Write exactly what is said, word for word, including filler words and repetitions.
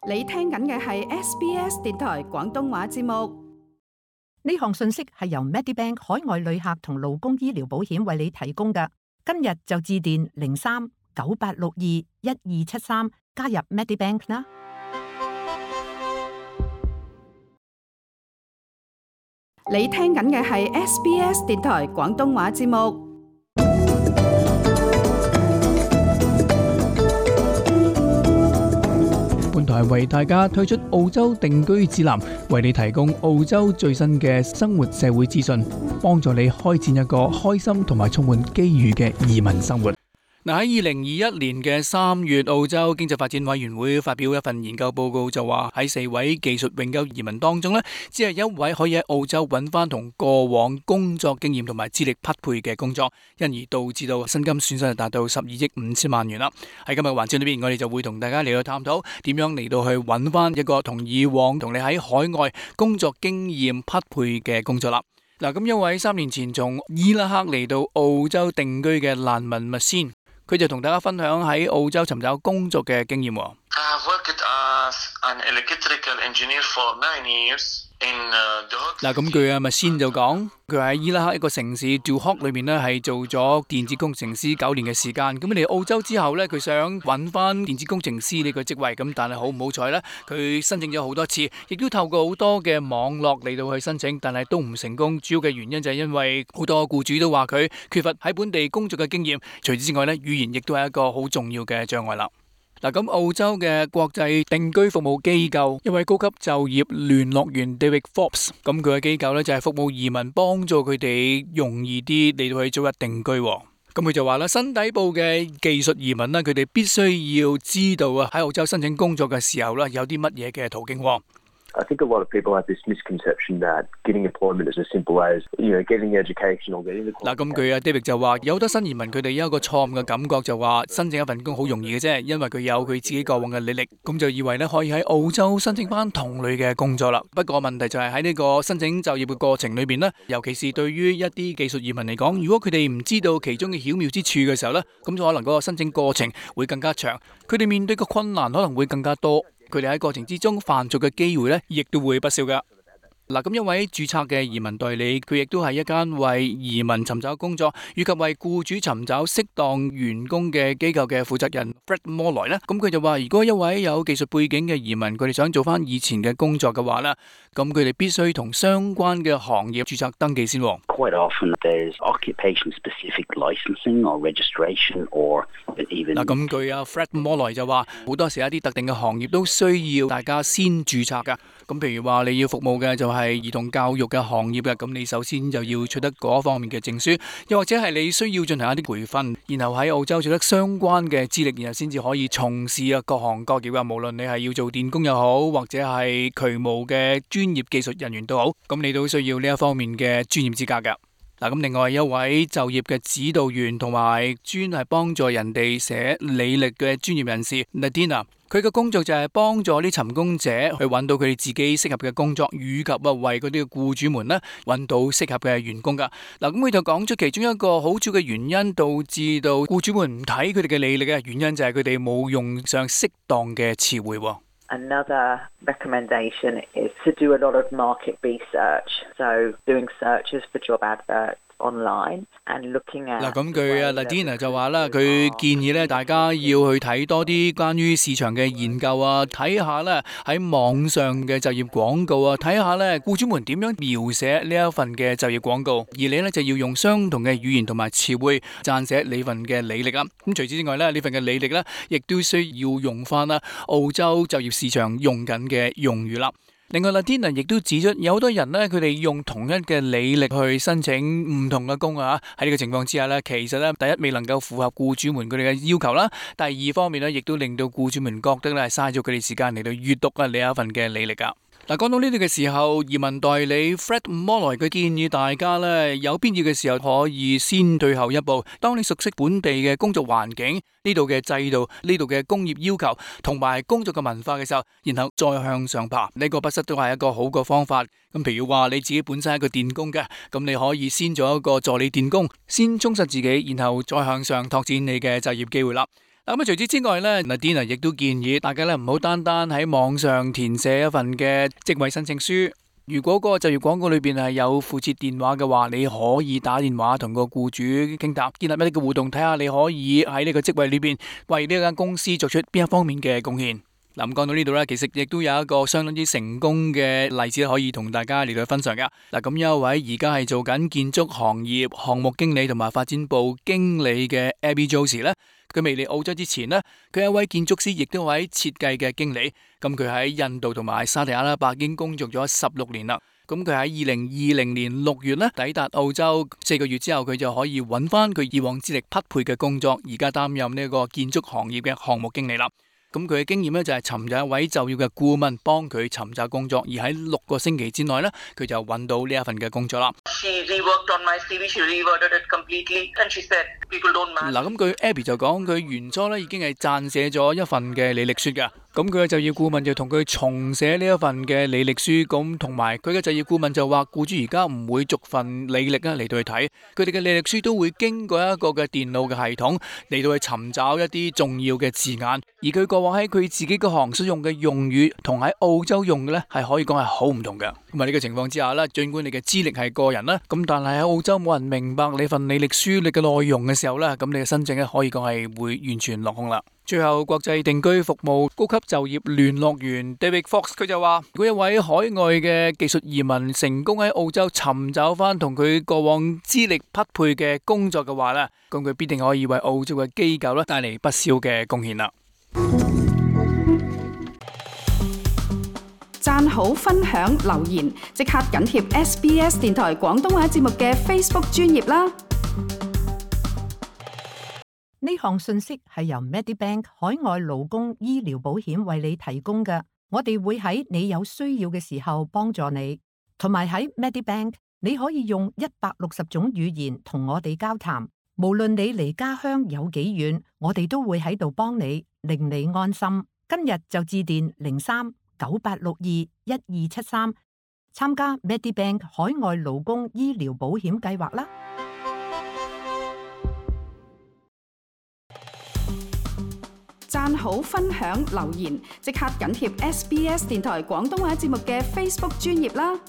你聽緊嘅係 S B S 電台廣東話節目。呢項信息係由 Medibank 海外旅客同勞工醫療保險為你提供嘅。今日就致電零三九八六二一二七三加入 Medibank 啦。你聽緊嘅係 S B S 電台廣東話節目。本台為大家推出澳洲定居指南，為你提供澳洲最新嘅生活社會資訊，幫助你開展一個開心同埋充滿機遇嘅移民生活。嗱，喺二零二一年嘅三月，澳洲經濟發展委員會發表一份研究報告，就話喺四位技術永久移民當中呢，只係一位可以喺澳洲揾翻同過往工作經驗同埋資歷匹配嘅工作，因而導致到薪金損失係達到十二億五千萬元啦。喺今日環節裏邊，我哋就會同大家嚟到探討點樣嚟到去揾翻一個同以往同你喺海外工作經驗匹配嘅工作啦。嗱，咁一位三年前從伊拉克嚟到澳洲定居嘅難民麥先，佢就同大家分享喺澳洲尋找工作嘅經驗。嗱，咁佢阿麥先就講，佢喺伊拉克一個城市 Duhok 裏面呢係做咗電子工程師九年嘅時間。咁嚟澳洲之後呢，佢想揾翻電子工程師呢個職位，咁但係好唔好彩呢，佢申請咗好多次，亦都透過好多嘅網絡嚟到去申請，但係都唔成功。主要嘅原因就係因為好多僱主都話佢缺乏喺本地工作嘅經驗。除此之外呢，語言亦都係一個好重要嘅障礙啦。嗱，咁澳洲嘅國際定居服務機構一位高級就業聯絡員 David Forbes， 咁佢嘅機構呢就係服務移民，幫助佢哋容易啲嚟到去早日定居。咁佢就話啦，新底部嘅技術移民呢，佢哋必須要知道啊，喺澳洲申請工作嘅時候呢，有啲乜嘢嘅途徑。I think a lot of people have this misconception that getting employment is as simple as, you know, getting education or getting the qualification. 嗱，咁佢啊 David 就話，有好多新移民佢哋有一個錯誤嘅感覺，就話申請一份工好容易嘅啫，因為佢有佢自己過往嘅履歷，咁就以為咧可以喺澳洲申請翻同類嘅工作啦。不過問題就係喺呢個申請就業嘅過程裏邊咧，尤其是對於一啲技術移民嚟講，如果佢哋唔知道其中嘅巧妙之處嘅時候咧，咁就可能嗰個申請過程會更加長，佢哋面對嘅困難可能會更加多。佢哋喺過程之中犯錯嘅機會呢，亦都會不少噶。嗱，咁一位註冊嘅移民代理，佢亦都係一間為移民尋找工作以及為僱主尋找適當員工嘅機構嘅負責人 Fred Molloy 呢，咁佢就話，如果一位有技術背景嘅移民，佢哋想做翻以前嘅工作嘅話呢，咁佢哋必須同相關嘅行業註冊登記先。Quite often there's occupation-specific licensing or registration or even 嗱，咁據阿 Fred Molloy 就話，好多時一啲特定嘅行業都需要大家先註冊噶。咁譬如話你要服務嘅就係係兒童教育嘅行業嘅，咁你首先就要取得嗰方面嘅證書，又或者係你需要進行一啲培訓，然後喺澳洲取得相關嘅資歷，然後先至可以從事啊各行各業嘅，無論你係要做電工又好，或者係渠務嘅專業技術人員都好，咁你都需要呢一方面嘅專業資格噶。嗱，咁另外一位就業嘅指導員同埋專係幫助人哋寫履歷嘅專業人士 Nadina， 佢嘅工作就係幫助啲尋工者去揾到佢哋自己適合嘅工作，以及啊為嗰啲嘅僱主們呢揾到適合嘅員工噶。嗱，咁佢就講出其中一個好主要嘅原因，導致到僱主們唔睇佢哋嘅履歷嘅原因，就係佢哋冇用上適當嘅詞彙。Another recommendation is to do a lot of market research, so doing searches for job adverts online and looking at 嗱，咁佢啊 Nadina 就話啦，佢建議咧大家要去睇多啲關於市場嘅研究啊，睇下咧喺網上嘅就業廣告啊，睇下咧僱主們點樣描寫呢一份嘅就業廣告，而你咧就要用相同嘅語言同埋詞彙撰寫你份嘅履歷啊。咁除此之外咧，呢份嘅履歷咧亦都需要用翻啦澳洲就業市場用緊嘅用語啦。另外 Nadina 亦都指出，有好多人呢，佢哋用同一嘅履歷去申請唔同嘅工啊。喺呢個情況之下呢，其實呢，第一未能夠符合僱主們佢哋嘅要求啦，第二方面呢，亦都令到僱主們覺得呢係嘥咗佢哋時間嚟到閱讀啊呢一份嘅履歷啊。嗱，講到呢度嘅時候，移民代理 Fred Molloy 佢建議大家咧，有必要嘅時候可以先退後一步。當你熟悉本地嘅工作環境、呢度嘅制度、呢度嘅工業要求同埋工作嘅文化嘅時候，然後再向上爬，呢個不失都係一個好嘅方法。咁譬如話你自己本身係一個電工嘅，咁你可以先做一個助理電工，先充實自己，然後再向上拓展你嘅就業機會啦。咁啊，除此之外咧，Nadine亦都建議大家咧唔好單單喺網上填寫一份嘅職位申請書。如果嗰個就業廣告裏邊係有附設電話嘅話，你可以打電話同個僱主傾談，建立一啲嘅互動，睇下你可以喺呢個職位裏邊為呢間公司作出邊一方面嘅貢獻。嗱，咁講到呢度咧，其實亦都有一個相當之成功嘅例子可以同大家嚟到分享噶。嗱，咁有一位而家係做緊建築行業項目經理同埋發展部經理嘅 Abby Josie 咧，佢未嚟澳洲之前呢，佢係一位建築師，亦都係一位設計嘅經理。咁佢喺印度同埋沙特阿拉伯已經工作咗十六年啦。咁佢喺二零二零年六月咧抵達澳洲，四個月之後佢就可以揾翻佢以往資歷匹配嘅工作，而家擔任呢個建築行業嘅項目經理啦。咁佢嘅經驗咧就係尋找一位就業嘅顧問幫佢尋找工作，而喺六個星期之內咧，佢就揾到呢一份嘅工作啦。嗱，咁佢 Abby 就講佢原初咧已經係撰寫咗一份嘅履歷書嘅，咁佢嘅就業顧問就同佢重寫呢一份嘅履歷書，咁同埋佢嘅就業顧問就話，僱主而家唔會逐份履歷啊嚟到去睇，佢哋嘅履歷書都會經過一個嘅電腦嘅系統嚟到去尋找一啲重要嘅字眼，而佢過往喺佢自己嗰行所用嘅用語同喺澳洲用嘅咧係可以講係好唔同嘅。咁啊呢個情況之下咧，儘管你嘅資歷係個人啦，咁但係喺澳洲冇人明白你份履歷書你嘅內容嘅時候咧，咁你嘅申請咧可以講係會完全落空啦。最後，國際定居服務高級就業聯絡員 David Fox 佢就話，如果一位海外嘅技術移民成功喺澳洲尋找翻同佢過往資歷匹配嘅工作嘅話咧，咁佢必定可以為澳洲嘅機構咧帶嚟不少嘅貢獻啦。讚好、分享、留言，即刻緊貼 S B S 電台廣東話節目嘅 Facebook 專頁啦！呢項信息係由 Medibank 海外勞工醫療保險為你提供嘅，我哋會喺你有需要嘅時候幫助你，同埋喺 Medibank 你可以用一百六十種語言同我哋交談，無論你離家鄉有幾遠，我哋都會喺度幫你，令你安心。今日就致電零三九八六二一二七三，參加 Medibank 海外勞工醫療保險計劃啦！讚好、分享、留言，即刻緊貼 S B S 電台廣東話節目嘅 Facebook 專頁啦！